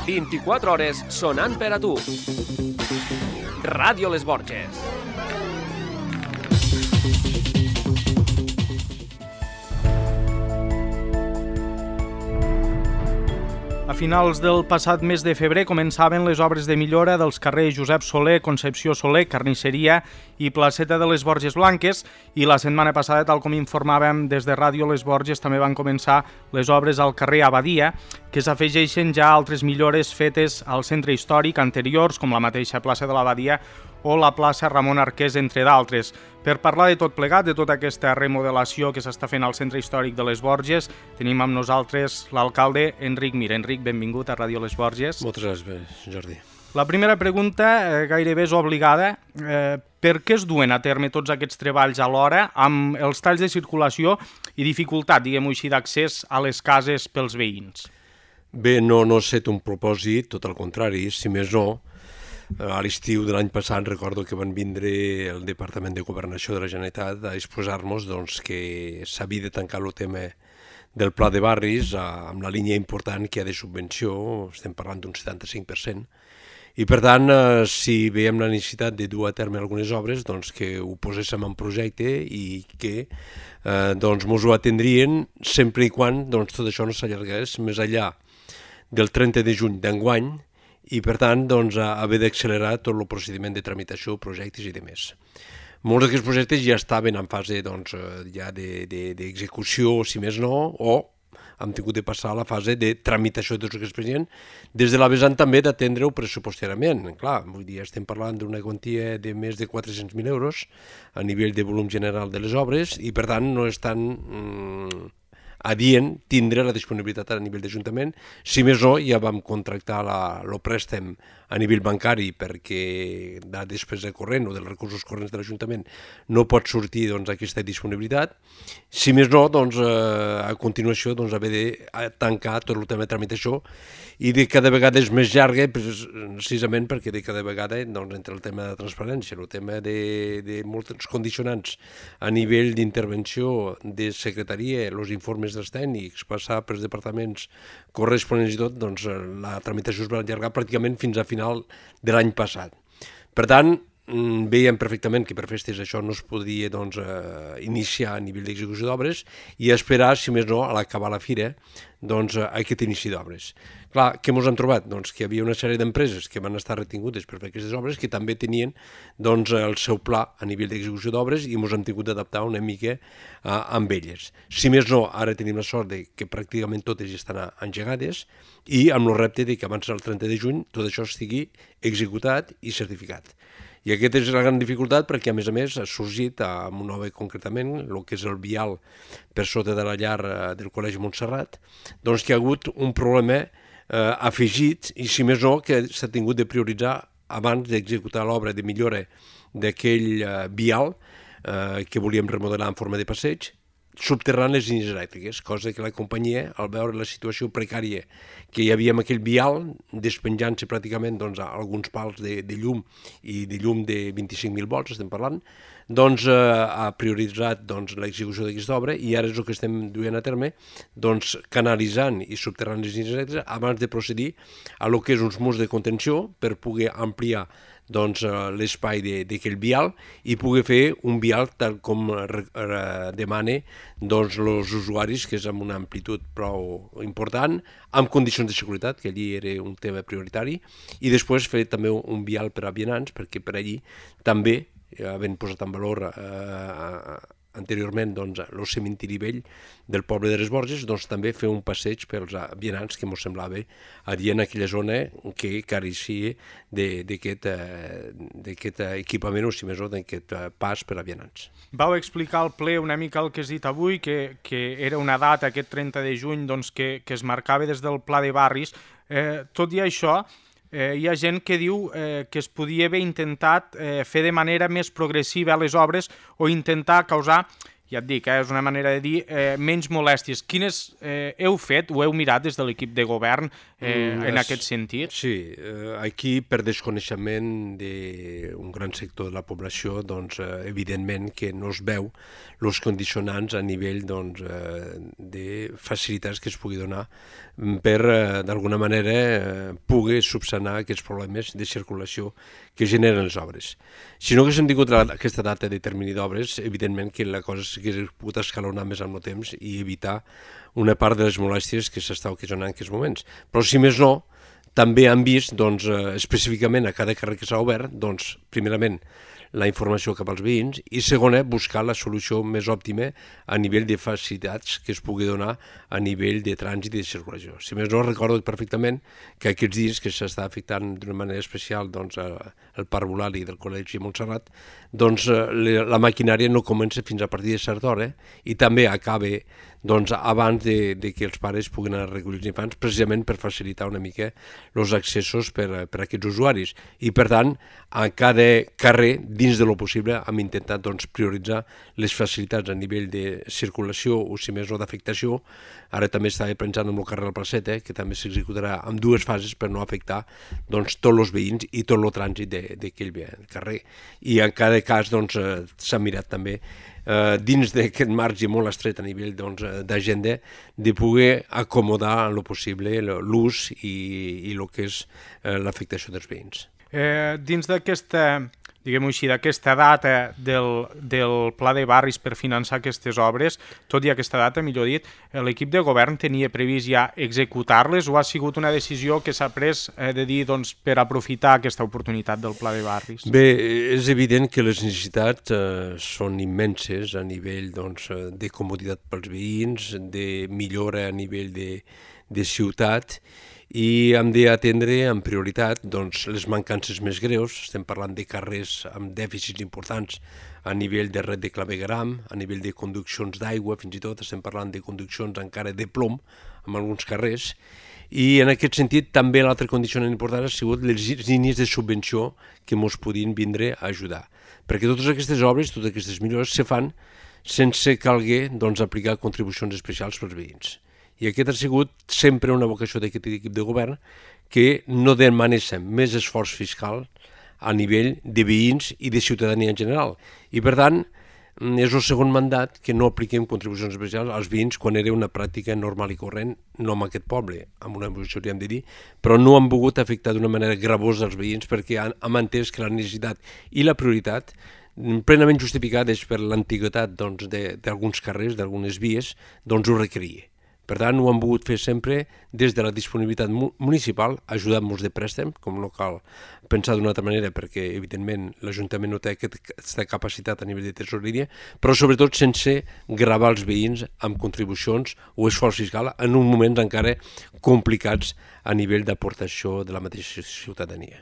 24 hores sonant per a tu. Ràdio Les Borges. A finals del passat mes de febrer començaven les obres de millora dels carrers Josep Soler, Concepció Soler, Carnisseria i Placeta de les Borges Blanques i la setmana passada, tal com informàvem des de Ràdio Les Borges, també van començar les obres al carrer Abadia, que s'afegeixen ja altres millores fetes al centre històric anteriors, com la mateixa plaça de l'Abadia o la plaça Ramon Arqués, entre d'altres. Per parlar de tot plegat, de tota aquesta remodelació que s'està fent al centre històric de les Borges, tenim amb nosaltres l'alcalde Enric Mir. Enric, benvingut a Ràdio Les Borges. Moltes gràcies, Jordi. La primera pregunta gairebé és obligada. Per què es duen a terme tots aquests treballs alhora amb els talls de circulació i dificultat, diguem-ho així, d'accés a les cases pels veïns? Bé, no ha estat un propòsit, tot el contrari, si més no. A l'estiu de l'any passat recordo que van vindre el Departament de Governació de la Generalitat a exposar-nos que s'havia de tancar el tema del pla de barris amb la línia important que hi ha de subvenció, estem parlant d'un 75%, i per tant, si veiem la necessitat de dur a terme algunes obres, que ho poséssim en projecte i que mos ho atendrien sempre i quan tot això no s'allargués més enllà del 30 de juny d'enguany, i per tant haver d'accelerar tot el procediment de tramitació, projectes i demés. Molts d'aquests projectes ja estaven en fase ja d'execució, si més no, o hem tingut de passar a la fase de tramitació de tots aquests projectes, des de la vessant també d'atendre-ho pressupostàriament. Clar, vull dir, estem parlant d'una quantia de més de 400.000 euros a nivell de volum general de les obres i per tant no és tan adient tindre la disponibilitat a nivell d'Ajuntament. Si més no, ja vam contractar el préstec a nivell bancari perquè de despesa corrent o dels recursos corrents de l'Ajuntament no pot sortir aquesta disponibilitat. Si més no, a continuació haver de tancar tot el tema de tramitació i de cada vegada és més llarga precisament perquè de cada vegada entre el tema de transparència, el tema de molts condicionants a nivell d'intervenció de secretaria, els informes dels tècnics, passar pels departaments corresponents i tot, la tramitació es va allargar pràcticament fins a final de l'any passat. Per tant, veiem perfectament que per festes això no es podia iniciar a nivell d'execució d'obres i esperar, si més no, a l'acabar la fira, aquest inici d'obres. Clar, què ens hem trobat? Que hi havia una sèrie d'empreses que van estar retingudes per fer aquestes obres que també tenien el seu pla a nivell d'execució d'obres i ens hem tingut d'adaptar una mica amb elles. Si més no, ara tenim la sort que pràcticament totes estan engegades i amb el repte que abans del 30 de juny tot això estigui executat i certificat. I aquesta és la gran dificultat perquè, a més, ha sorgit amb un nova concretament, el que és el vial per sota de la llar del Col·legi Montserrat, que hi ha hagut un problema afegit i, si més no, que s'ha tingut de prioritzar abans d'executar l'obra de millora d'aquell vial que volíem remodelar en forma de passeig, subterrant les línies elèctriques, cosa que la companyia, al veure la situació precària que hi havia amb aquell vial, despenjant-se pràcticament alguns pals de llum i de llum de 25.000 volts, estem parlant, ha prioritzat l'execució d'aquesta obra i ara és el que estem duent a terme, canalitzant i subterrant les línies elèctriques abans de procedir a el que és uns murs de contenció per poder ampliar l'espai d'aquell vial i poder fer un vial tal com demana els usuaris, que és amb una amplitud prou important, amb condicions de seguretat, que allí era un tema prioritari, i després fer també un vial per a vianants, perquè per allí també, havent posat en valor anteriorment el cementiri vell del poble de les Borges, també fer un passeig pels vianants que ens semblava adient a aquella zona que careixia d'aquest equipament o, si més no, d'aquest pas per a vianants. Vau explicar al ple una mica el que has dit avui, que era una data, aquest 30 de juny, que es marcava des del Pla de Barris. Tot i això, hi ha gent que diu que es podia haver intentat fer de manera més progressiva les obres o intentar causar ja et dic, és una manera de dir, menys molèsties. Quines heu fet o heu mirat des de l'equip de govern en aquest sentit? Sí, aquí per desconeixement d'un gran sector de la població, doncs evidentment que no es veu els condicionants a nivell doncs, de facilitats que es pugui donar per, d'alguna manera, poder subsanar aquests problemes de circulació que generen les obres. Si no haguéssim tingut aquesta data de termini d'obres, evidentment que la cosa s'hauria pogut escalonar més amb el temps i evitar una part de les molèsties que s'està ocasionant en aquests moments. Però si més no, també han vist doncs, específicament a cada carrer que s'ha obert, doncs, primerament, la informació cap als veïns i segona, buscar la solució més òptima a nivell de facilitats que es pugui donar a nivell de trànsit i de circulació. Si més no, recordo perfectament que aquests dies que s'està afectant d'una manera especial doncs, el parc Eulàlia del Col·legi Montserrat, doncs la maquinària no comença fins a partir de certa hora i també acaba doncs, abans de que els pares puguin anar a recollir els infants, precisament per facilitar una mica els accessos per a aquests usuaris. I, per tant, a cada carrer, dins de lo possible, hem intentat doncs, prioritzar les facilitats a nivell de circulació o, si més no, d'afectació. Ara també estava pensant en el carrer del Placeta, que també s'executarà en dues fases per no afectar doncs, tots els veïns i tot el trànsit d'aquell carrer. I en cada cas doncs, s'ha mirat també dins d'aquest marge molt estret a nivell d'agenda, de poder acomodar en lo possible l'ús i el que és l'afectació dels veïns. Dins d'aquesta, diguem-ho així, d'aquesta data del Pla de Barris per finançar aquestes obres, tot i aquesta data, millor dit, l'equip de govern tenia previst ja executar-les o ha sigut una decisió que s'ha pres de dir doncs, per aprofitar aquesta oportunitat del Pla de Barris? Bé, és evident que les necessitats són immenses a nivell doncs, de comoditat pels veïns, de millora a nivell de ciutat, i hem d'atendre en prioritat doncs, les mancances més greus. Estem parlant de carrers amb dèficits importants a nivell de red de clavegueram, a nivell de conduccions d'aigua, fins i tot estem parlant de conduccions encara de plom en alguns carrers, i en aquest sentit també l'altre condicionant important ha sigut les línies de subvenció que ens podien vindre a ajudar, perquè totes aquestes obres, totes aquestes millores se fan sense calguer doncs, aplicar contribucions especials pels veïns. I aquest ha sigut sempre una vocació d'aquest equip de govern, que no demanéssim més esforç fiscal a nivell de veïns i de ciutadania en general. I per tant, és el segon mandat que no apliquem contribucions especials als veïns quan era una pràctica normal i corrent, no en aquest poble, amb una majoria hem de dir, però no han volgut afectar d'una manera gravosa els veïns perquè hem entès que la necessitat i la prioritat plenament justificades per l'antiguitat doncs, d'alguns carrers, d'algunes vies, doncs ho requeria. Per tant, ho hem volgut fer sempre des de la disponibilitat municipal, ajudant-nos de préstec, com no cal pensar d'una altra manera, perquè, evidentment, l'Ajuntament no té aquesta capacitat a nivell de tesoreria, però sobretot sense gravar els veïns amb contribucions o esforç fiscal en uns moments encara complicats a nivell d'aportació de la mateixa ciutadania.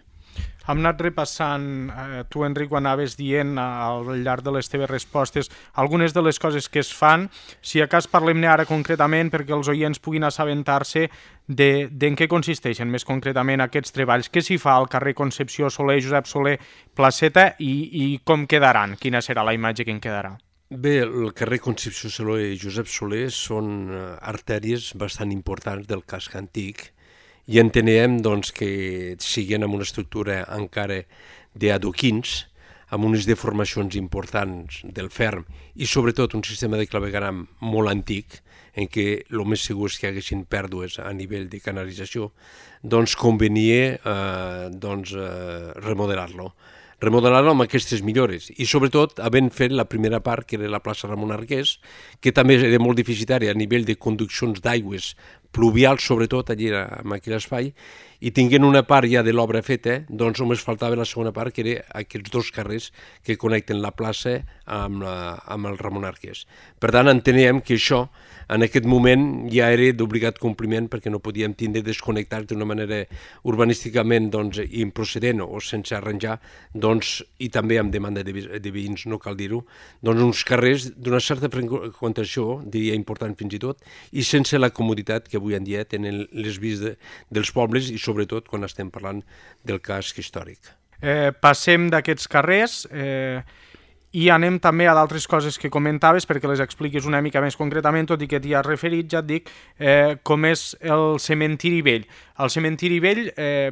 Hem anat repassant, tu, Enric, ho anaves dient al llarg de les teves respostes, algunes de les coses que es fan. Si a cas parlem-ne ara concretament perquè els oients puguin assabentar-se d'en què consisteixen més concretament aquests treballs. Què s'hi fa al carrer Concepció Soler, Josep Soler, Placeta i com quedaran? Quina serà la imatge que en quedarà? Bé, el carrer Concepció Soler i Josep Soler són artèries bastant importants del casc antic, i entenem doncs, que siguin amb una estructura encara d'adoquins, amb unes deformacions importants del ferm i sobretot un sistema de clavegueram molt antic, en què el més segur és que hi haguessin pèrdues a nivell de canalització, doncs convenia remodelar-lo amb aquestes millores i sobretot havent fet la primera part, que era la plaça Ramon Arqués, que també era molt deficitària a nivell de conduccions d'aigües pluvials, sobretot allà en aquell espai, i tinguent una part ja de l'obra feta, doncs només faltava la segona part, que era aquests dos carrers que connecten la plaça amb el Ramon Arqués. Per tant, enteníem que això en aquest moment ja era d'obligat compliment perquè no podíem tindre desconnectats d'una manera urbanísticament improcedent o sense arranjar, i també amb demanda de veïns, no cal dir-ho, uns carrers d'una certa freqüentació, diria important fins i tot, i sense la comoditat que avui en dia tenen les vies dels pobles i sobretot quan estem parlant del casc històric. Passem d'aquests carrers I anem també a d'altres coses que comentaves perquè les expliquis una mica més concretament, tot i que t'hi has referit, ja et dic, com és el cementiri vell. Al cementiri vell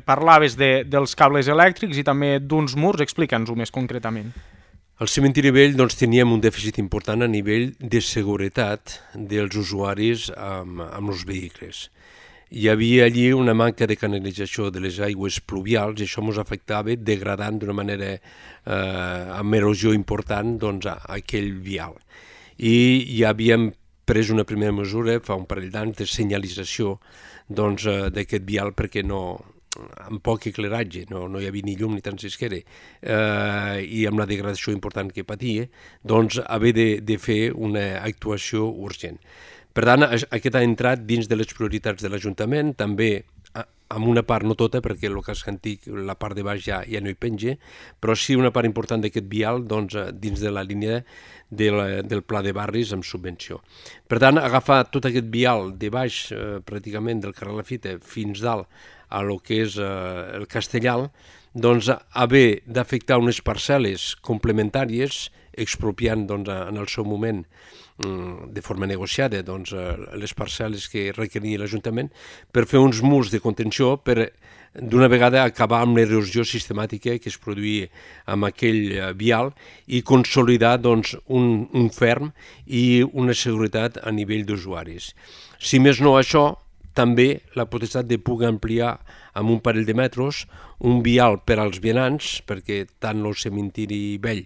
parlaves dels cables elèctrics i també d'uns murs, explica'ns-ho més concretament. Al cementiri vell doncs, teníem un dèficit important a nivell de seguretat dels usuaris amb els vehicles. Hi havia allí una manca de canalització de les aigües pluvials i això ens afectava degradant d'una manera amb erosió important doncs, aquell vial. I ja havíem pres una primera mesura fa un parell d'anys de senyalització doncs, d'aquest vial perquè amb poc ecleratge, no hi havia ni llum ni transisquera i amb la degradació important que patia, doncs haver de fer una actuació urgent. Per tant, aquest ha entrat dins de les prioritats de l'Ajuntament, també amb una part, no tota, perquè el casc antic, la part de baix ja no hi penja, però sí una part important d'aquest vial doncs, dins de la línia del pla de barris amb subvenció. Per tant, agafar tot aquest vial de baix, pràcticament del carrer Lafita fins dalt a lo que és el Castellal, doncs haver d'afectar unes parcel·les complementàries, expropiant doncs, en el seu moment de forma negociada doncs, les parcel·les que requeria l'Ajuntament per fer uns murs de contenció per d'una vegada acabar amb l'erosió sistemàtica que es produïa amb aquell vial i consolidar doncs, un ferm i una seguretat a nivell d'usuaris. Si més no això, també la potestat de poder ampliar amb un parell de metres un vial per als vianants, perquè tant el cementiri vell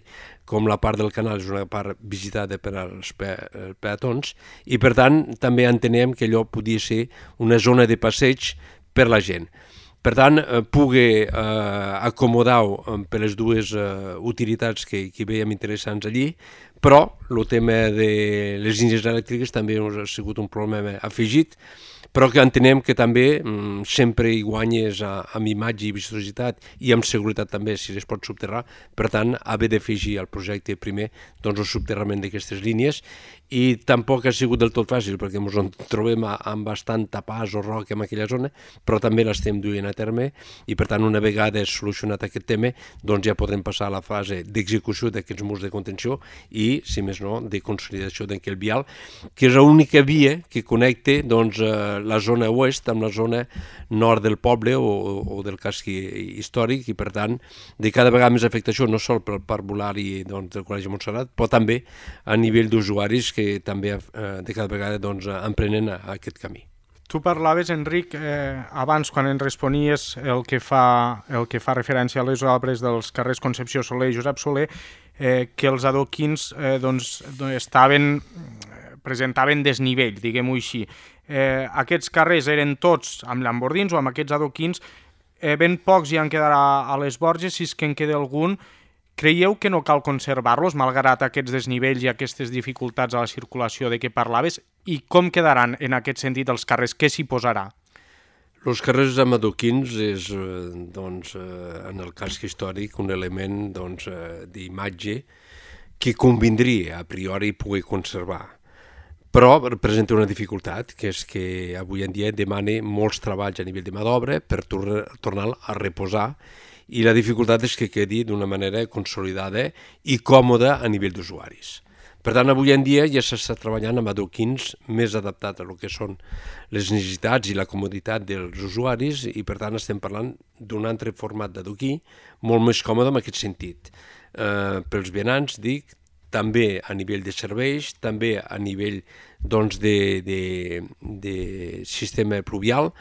com la part del canal és una part visitada per als peatons i per tant també entenem que allò podia ser una zona de passeig per la gent. Per tant, poder acomodar-ho per les dues utilitats que veiem interessants allí, però el tema de les línies elèctriques també ha sigut un problema afegit, però que entenem que també sempre hi guanyes amb imatge i vistositat i amb seguretat també si es pot subterrar, per tant haver d'afegir al projecte primer doncs, el subterrament d'aquestes línies i tampoc ha sigut del tot fàcil perquè ens en trobem amb bastant tapàs o roca en aquella zona, però també l'estem duent a terme i per tant una vegada solucionat aquest tema doncs ja podrem passar a la fase d'execució d'aquests murs de contenció i, si més no, de consolidació d'aquell vial, que és l'única via que connecta doncs, la zona oest amb la zona nord del poble o del casc històric i per tant de cada vegada més afectació no sol pel parc Volari doncs, del Col·legi Montserrat, però també a nivell d'usuaris que també de cada vegada doncs, emprenen aquest camí. Tu parlaves, Enric, abans quan ens responies el que fa referència a les obres dels carrers Concepció Soler i Josep Soler, que els adoquins presentaven desnivell, diguem-ho així. Aquests carrers eren tots amb llambordins o amb aquests adoquins, ben pocs ja en quedarà a les Borges, si és que en queda algun. Creieu que no cal conservar-los, malgrat aquests desnivells i aquestes dificultats a la circulació de què parlaves? I com quedaran en aquest sentit els carrers? Què s'hi posarà? Els carrers amb adoquins és, doncs, en el casc històric, un element doncs, d'imatge que convindria a priori poder conservar. Però presenta una dificultat, que és que avui en dia demana molts treballs a nivell de mà d'obra per tornar a reposar i la dificultat és que quedi d'una manera consolidada i còmoda a nivell d'usuaris. Per tant, avui en dia ja s'està treballant amb adoquins més adaptats a el que són les necessitats i la comoditat dels usuaris i per tant estem parlant d'un altre format d'adoquí molt més còmode en aquest sentit. Pels vianants, dic, també a nivell de serveis, també a nivell doncs, de sistema pluvial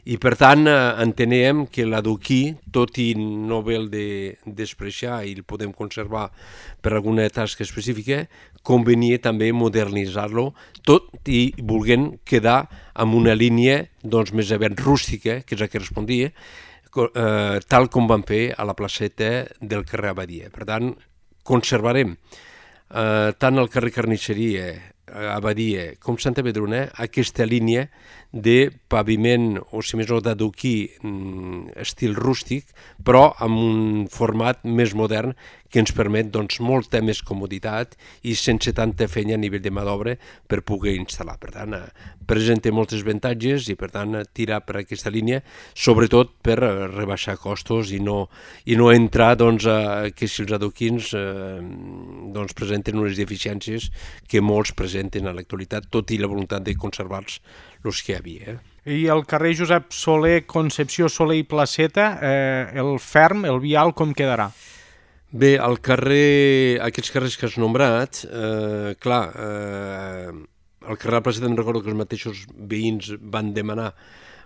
i per tant entenem que l'adoquí, tot i no haver de despreciar i el podem conservar per alguna tasca específica, convenia també modernitzar-lo tot i volent quedar amb una línia doncs, més aviat rústica, que és la que respondia, tal com vam fer a la placeta del carrer Abadia. Per tant, conservarem tant el carrer Carnisseria, Abadia com Santa Pedrona aquesta línia de paviment, o si més no d'adoquí estil rústic, però amb un format més modern que ens permet doncs, molta més comoditat i sense tanta feina a nivell de mà d'obra per poder instal·lar. Per tant, presenta molts avantatges i per tant tirar per aquesta línia, sobretot per rebaixar costos i no entrar doncs, que si els adoquins doncs, presenten unes deficiències que molts presenten a l'actualitat, tot i la voluntat de conservar-los els que hi havia. I el carrer Josep Soler, Concepció Soler i Placeta, el ferm, el vial, com quedarà? Bé, aquests carrers que has nombrat, el carrer de la Placeta em recordo que els mateixos veïns van demanar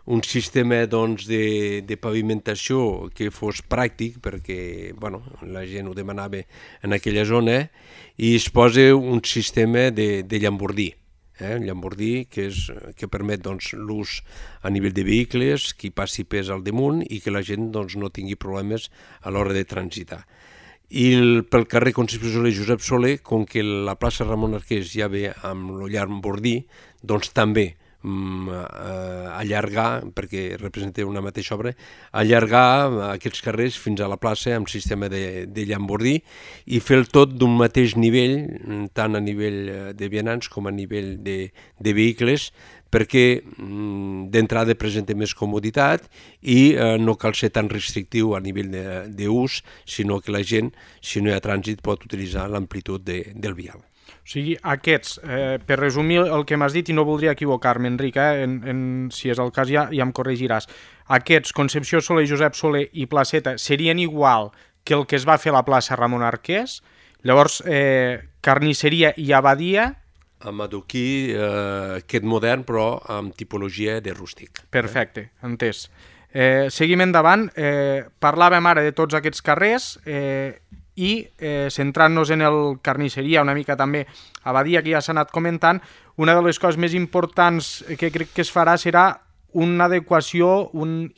un sistema doncs, de pavimentació que fos pràctic, perquè la gent ho demanava en aquella zona, i es posa un sistema de llambordí. Un llambordí que permet doncs, l'ús a nivell de vehicles, que hi passi pes al damunt i que la gent doncs, no tingui problemes a l'hora de transitar. I pel carrer Concepció Soler i Josep Soler, com que la plaça Ramon Arqués ja ve amb el llambordí, doncs també allargar, perquè representa una mateixa obra, allargar aquests carrers fins a la plaça amb sistema de llambordí i fer el tot d'un mateix nivell, tant a nivell de vianants com a nivell de vehicles, perquè d'entrada presenta més comoditat i no cal ser tan restrictiu a nivell d'ús, sinó que la gent, si no hi ha trànsit, pot utilitzar l'amplitud del vial. O sigui, aquests, per resumir el que m'has dit, i no voldria equivocar-me, Enric, si és el cas ja em corregiràs, aquests, Concepció Soler, Josep Soler i Placeta, serien igual que el que es va fer a la plaça Ramon Arqués, llavors carnisseria i abadia... Amb adoquí aquest modern, però amb tipologia de rústic. Perfecte, entès. Seguim endavant, parlàvem ara de tots aquests carrers i centrant-nos en el carnisseria, una mica també abadia, que ja s'ha anat comentant, una de les coses més importants que crec que es farà serà una adequació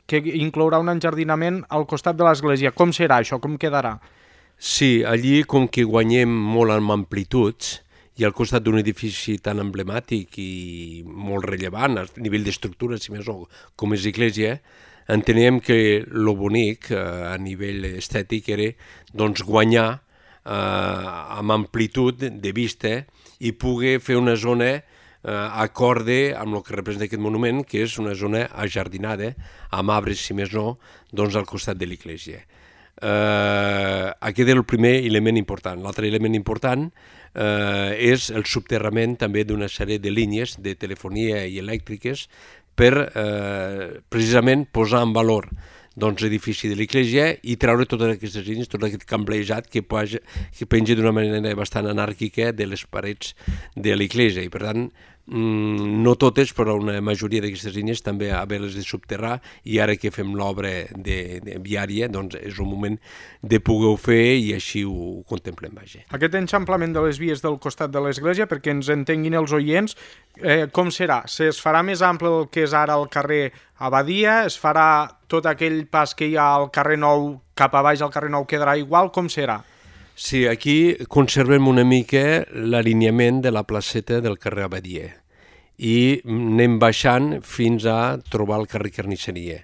que inclourà un enjardinament al costat de l'església. Com serà això? Com quedarà? Sí, allí com que guanyem molt en amplituds, i al costat d'un edifici tan emblemàtic i molt rellevant a nivell d'estructura, si més no, com és l'església, enteníem que el bonic a nivell estètic era doncs, guanyar amb amplitud de vista i poder fer una zona acorde amb el que representa aquest monument, que és una zona ajardinada, amb arbres, si més no, doncs, al costat de l'església. Aquest és el primer element important. L'altre element important és el subterrament també d'una sèrie de línies de telefonia i elèctriques per precisament posar en valor l'edifici de l'església i treure totes aquestes línies, tot aquest camblejat que penja d'una manera bastant anàrquica de les parets de l'església. I per tant, no totes, però una majoria d'aquestes línies també haver-les de subterrar, i ara que fem l'obra viària, doncs és un moment de poder-ho fer i així ho contemplem. Aquest enxamplament de les vies del costat de l'església, perquè ens entenguin els oients, com serà? Es farà més ample del que és ara el carrer Abadia? Es farà tot aquell pas que hi ha al carrer Nou cap a baix al carrer Nou quedarà igual? Com serà? Sí, aquí conservem una mica l'alineament de la placeta del carrer Abadia i anem baixant fins a trobar el carrer Carnisseria.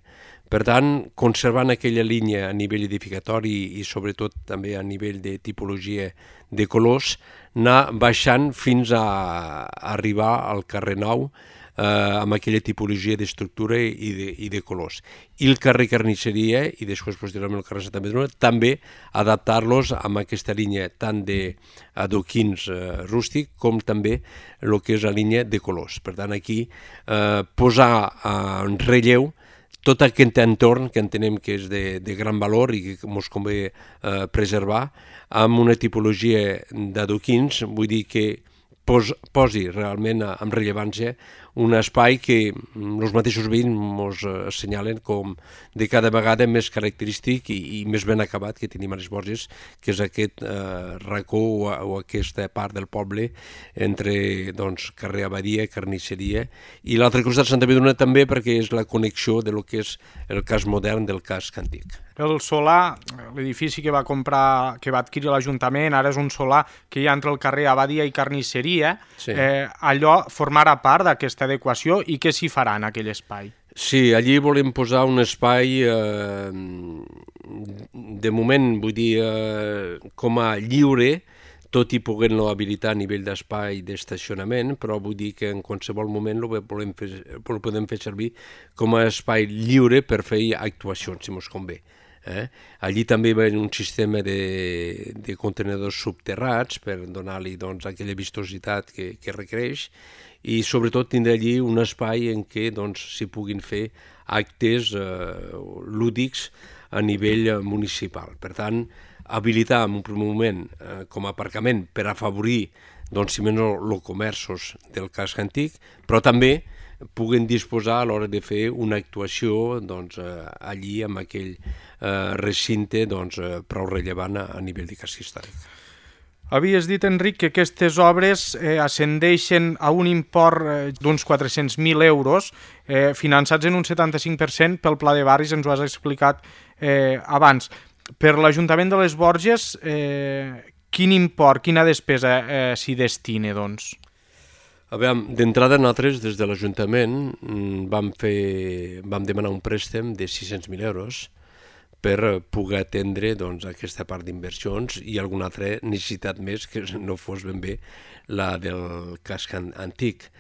Per tant, conservant aquella línia a nivell edificatori i sobretot també a nivell de tipologia de colors, anar baixant fins a arribar al carrer Nou amb aquella tipologia d'estructura i de colors. I el carrer Carnisseria, i després posteriorment el carrer Santa Madrona, també adaptar-los amb aquesta línia tant d'adoquins rústic com també el que és la línia de colors. Per tant, aquí posar en relleu tot aquest entorn que entenem que és de gran valor i que ens convé preservar amb una tipologia d'adoquins, vull dir que posi realment amb rellevància un espai que els mateixos veïns ens assenyalen com de cada vegada més característic i més ben acabat que tenim a les Borges, que és aquest racó o aquesta part del poble entre carrer Abadia, Carnisseria, i l'altre costat Santa Madrona també, perquè és la connexió de lo que és el cas modern del casc antic. El solar, l'edifici que va adquirir l'Ajuntament, ara és un solar que hi ha entre el carrer Abadia i Carnisseria, allò formarà part d'aquesta aquesta adequació i què s'hi farà en aquell espai? Sí, allí volem posar un espai, de moment, vull dir, com a lliure, tot i poder-lo habilitar a nivell d'espai d'estacionament, però vull dir que en qualsevol moment lo podem fer servir com a espai lliure per fer actuacions, si mos convé. Allí també hi ha un sistema de contenedors subterrats per donar-li aquella vistositat que requereix, i sobretot tindrà allí un espai en què s'hi puguin fer actes lúdics a nivell municipal. Per tant, habilitar en un primer moment com a aparcament per afavorir, si menys, els comerços del casc antic, però també puguen disposar a l'hora de fer una actuació allí amb aquell recinte prou rellevant a nivell de casc històric. Havies dit, Enric, que aquestes obres ascendeixen a un import d'uns 400.000 euros, finançats en un 75% pel Pla de Barris, ens ho has explicat abans. Per l'Ajuntament de les Borges, quin import, quina despesa s'hi destina, doncs? A veure, d'entrada nosaltres, des de l'Ajuntament, vam demanar un préstec de 600.000 euros per poder atendre aquesta part d'inversions i alguna altra necessitat més que no fos ben bé la del casc antic.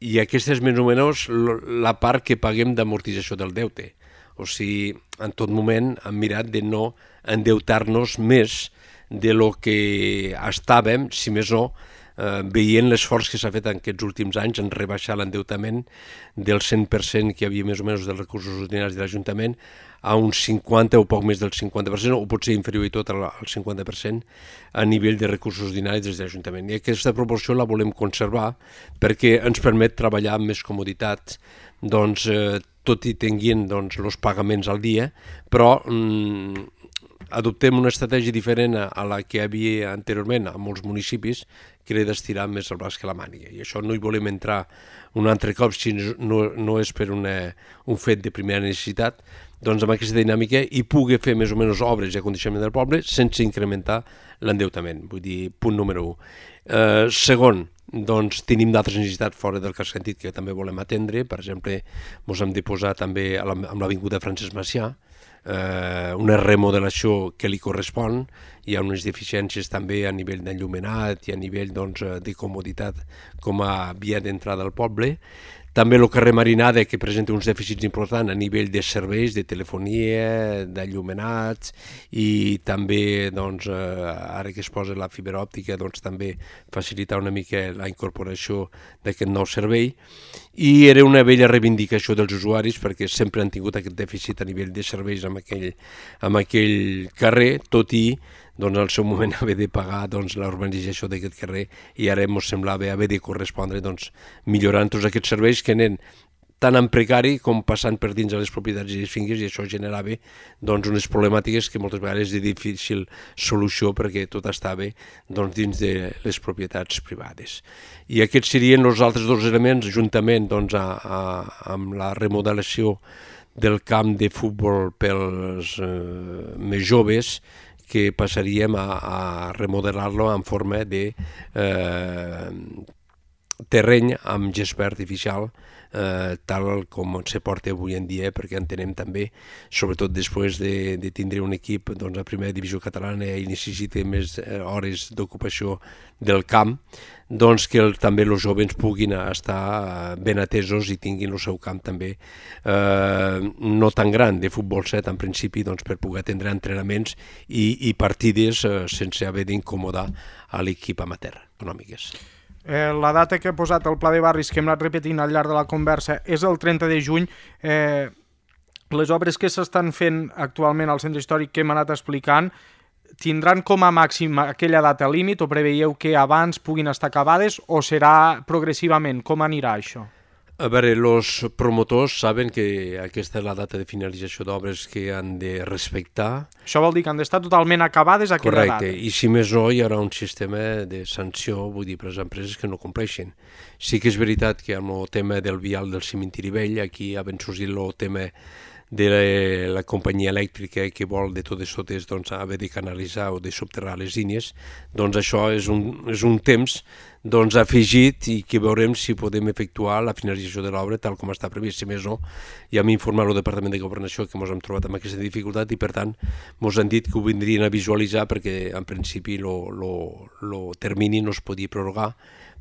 I aquesta és més o menys la part que paguem d'amortització del deute. O sigui, en tot moment hem mirat de no endeutar-nos més de lo que estàvem, si més no, veient l'esforç que s'ha fet en aquests últims anys en rebaixar l'endeutament del 100% que hi havia més o menys dels recursos ordinaris de l'Ajuntament a un 50 o poc més del 50%, o potser inferior i tot al 50% a nivell de recursos ordinaris des de l'Ajuntament. I aquesta proporció la volem conservar perquè ens permet treballar amb més comoditat, tot i tenint els pagaments al dia, però adoptem una estratègia diferent a la que hi havia anteriorment a molts municipis, que era d'estirar més el braç que la màniga. I això no hi volem entrar un altre cop, si no és per un fet de primera necessitat, amb aquesta dinàmica i pugui fer més o menys obres i acondicionament del poble sense incrementar l'endeutament. Vull dir, punt número 1. Segon, tenim d'altres necessitats fora del casc antic que també volem atendre. Per exemple, ens hem de posar també amb l'avinguda Francesc Macià, una remodelació que li correspon. Hi ha unes deficiències també a nivell d'enllumenat i a nivell de comoditat com a via d'entrada al poble. També el carrer Marinada, que presenta uns dèficits importants a nivell de serveis, de telefonia, d'enllumenats, i també, ara que es posa la fibra òptica, també facilitar una mica la incorporació d'aquest nou servei. I era una vella reivindicació dels usuaris perquè sempre han tingut aquest dèficit a nivell de serveis amb aquell carrer, tot i al seu moment haver de pagar la urbanització d'aquest carrer, i ara ens semblava haver de correspondre millorant tots aquests serveis que anen tant en precari com passant per dins de les propietats i les finques, i això generava unes problemàtiques que moltes vegades és de difícil solució perquè tot estava dins de les propietats privades. I aquests serien els altres dos elements, juntament amb la remodelació del camp de futbol pels més joves, que passaríem a remodelar-lo en forma de terreny amb gespa artificial, tal com se porta avui en dia, perquè entenem també, sobretot després de tindre un equip a primera divisió catalana i necessita més hores d'ocupació del camp, que també els joves puguin estar ben atesos i tinguin el seu camp també no tan gran, de futbol 7 en principi, per poder atendre entrenaments i partides sense haver d'incomodar a l'equip amateur econòmiques. La data que ha posat el Pla de Barris, que hem anat repetint al llarg de la conversa, és el 30 de juny. Les obres que s'estan fent actualment al centre històric que hem anat explicant tindran com a màxim aquella data límit o preveieu que abans puguin estar acabades o serà progressivament? Com anirà això? A veure, els promotors saben que aquesta és la data de finalització d'obres que han de respectar. Això vol dir que han d'estar totalment acabades a aquella data. Correcte, i si més no hi haurà un sistema de sanció, vull dir, per les empreses que no compleixin. Sí que és veritat que amb el tema del vial del cementiri vell, aquí ha ben sorgit el tema de la companyia elèctrica que vol de totes totes doncs, haver de canalitzar o de subterrar les línies, doncs això és un temps doncs, afegit i que veurem si podem efectuar la finalització de l'obra tal com està previst. Si més no, ja m'ha informat el Departament de Governació que ens hem trobat amb aquesta dificultat i per tant ens han dit que ho vindrien a visualitzar perquè en principi el termini no es podia prorrogar,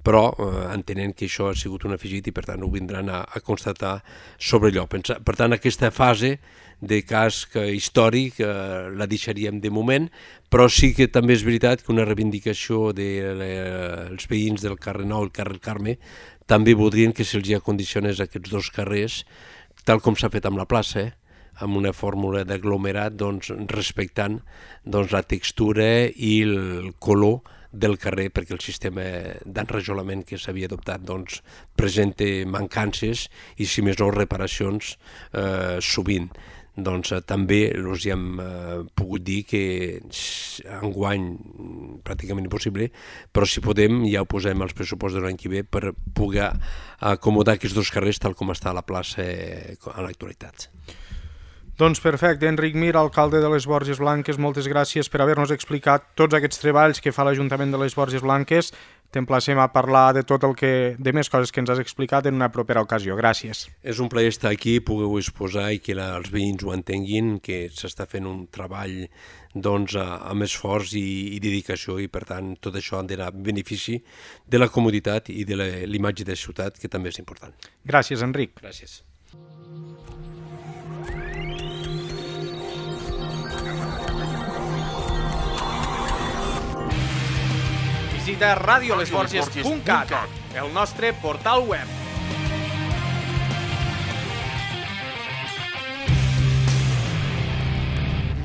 però entenent que això ha sigut un afegit i per tant ho vindran a constatar sobre lloc. Per tant, aquesta fase de casc històric la deixaríem de moment, però sí que també és veritat que una reivindicació dels veïns del carrer Nou i el carrer Carme també voldrien que se'ls acondicionés aquests dos carrers, tal com s'ha fet amb la plaça, amb una fórmula d'aglomerat doncs, respectant doncs, la textura i el color del carrer, perquè el sistema d'enrajolament que s'havia adoptat doncs, presenta mancances i, si més no, reparacions sovint. Doncs també els hem pogut dir que enguany pràcticament impossible, però si podem ja ho posem als pressupostos de l'any que ve per poder acomodar aquests dos carrers tal com està a la plaça en l'actualitat. Doncs perfecte, Enric Mir, alcalde de les Borges Blanques, moltes gràcies per haver-nos explicat tots aquests treballs que fa l'Ajuntament de les Borges Blanques. T'emplacem a parlar de tot de més coses que ens has explicat en una propera ocasió. Gràcies. És un plaer estar aquí, poder-ho exposar i que els veïns ho entenguin, que s'està fent un treball doncs, amb esforç i dedicació i per tant tot això ha d'anar en benefici de la comoditat i de l'imatge de ciutat, que també és important. Gràcies, Enric. Gràcies. Visita radiolesborges.cat, el nostre portal web.